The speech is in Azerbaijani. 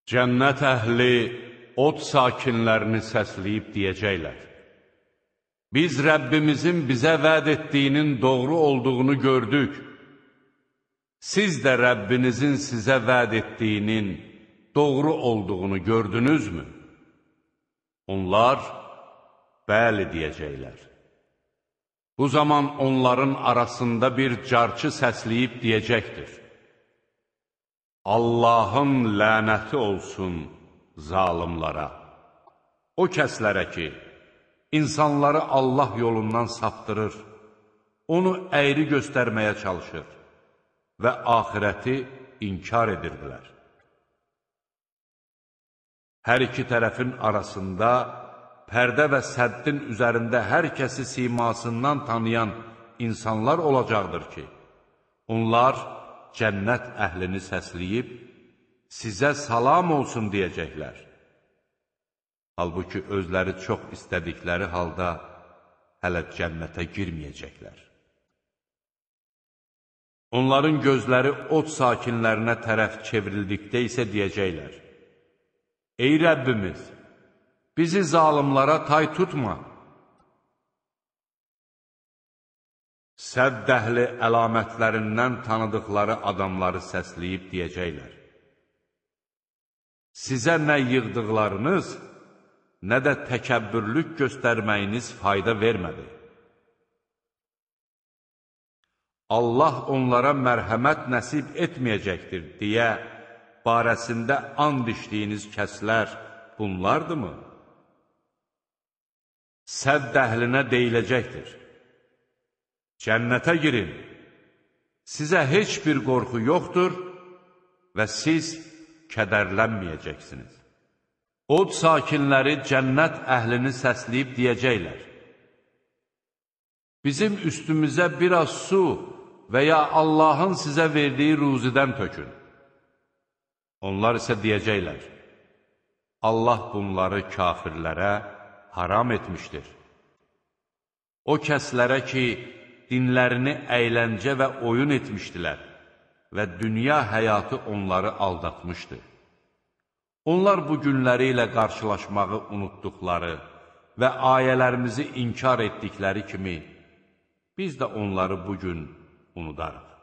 Cənnət əhli od sakinlərini səsləyib deyəcəklər: Biz Rəbbimizin bizə vəd etdiyinin doğru olduğunu gördük. Siz də Rəbbinizin sizə vəd etdiyinin doğru olduğunu gördünüzmü? Onlar, bəli deyəcəklər. Bu zaman onların arasında bir carçı səsləyib deyəcəkdir: Allahın lənəti olsun zalimlara. O kəslərə ki, insanları Allah yolundan saptırır, onu əyri göstərməyə çalışır və axirəti inkar edirdilər. Hər iki tərəfin arasında pərdə və səddin üzərində hər kəsi simasından tanıyan insanlar olacaqdır ki, onlar cənnət əhlini səsləyib, sizə salam olsun deyəcəklər. Halbuki özləri çox istədikləri halda hələ cənnətə girməyəcəklər. Onların gözləri od sakinlərinə tərəf çevrildikdə isə deyəcəklər: Ey Rəbbimiz, bizi zalimlara tay tutma. Sədd əhli əlamətlərindən tanıdıqları adamları səsləyib deyəcəklər: Sizə nə yığdıqlarınız, nə də təkəbbürlük göstərməyiniz fayda vermədi. Allah onlara mərhəmət nəsib etməyəcəkdir deyə barəsində and içdiyiniz kəslər bunlardırmı? Sədd əhlinə deyiləcəkdir: Cənnətə girin, sizə heç bir qorxu yoxdur və siz kədərlənməyəcəksiniz. Od sakinləri cənnət əhlini səsləyib deyəcəklər: Bizim üstümüzə biraz su və ya Allahın sizə verdiyi ruzidən tökün. Onlar isə deyəcəklər: Allah bunları kafirlərə haram etmişdir. O kəslərə ki, dinlərini əyləncə və oyun etmişdilər və dünya həyatı onları aldatmışdı. Onlar bu günləri ilə qarşılaşmağı unutduqları və ayələrimizi inkar etdikləri kimi, biz də onları bugün unudarıq.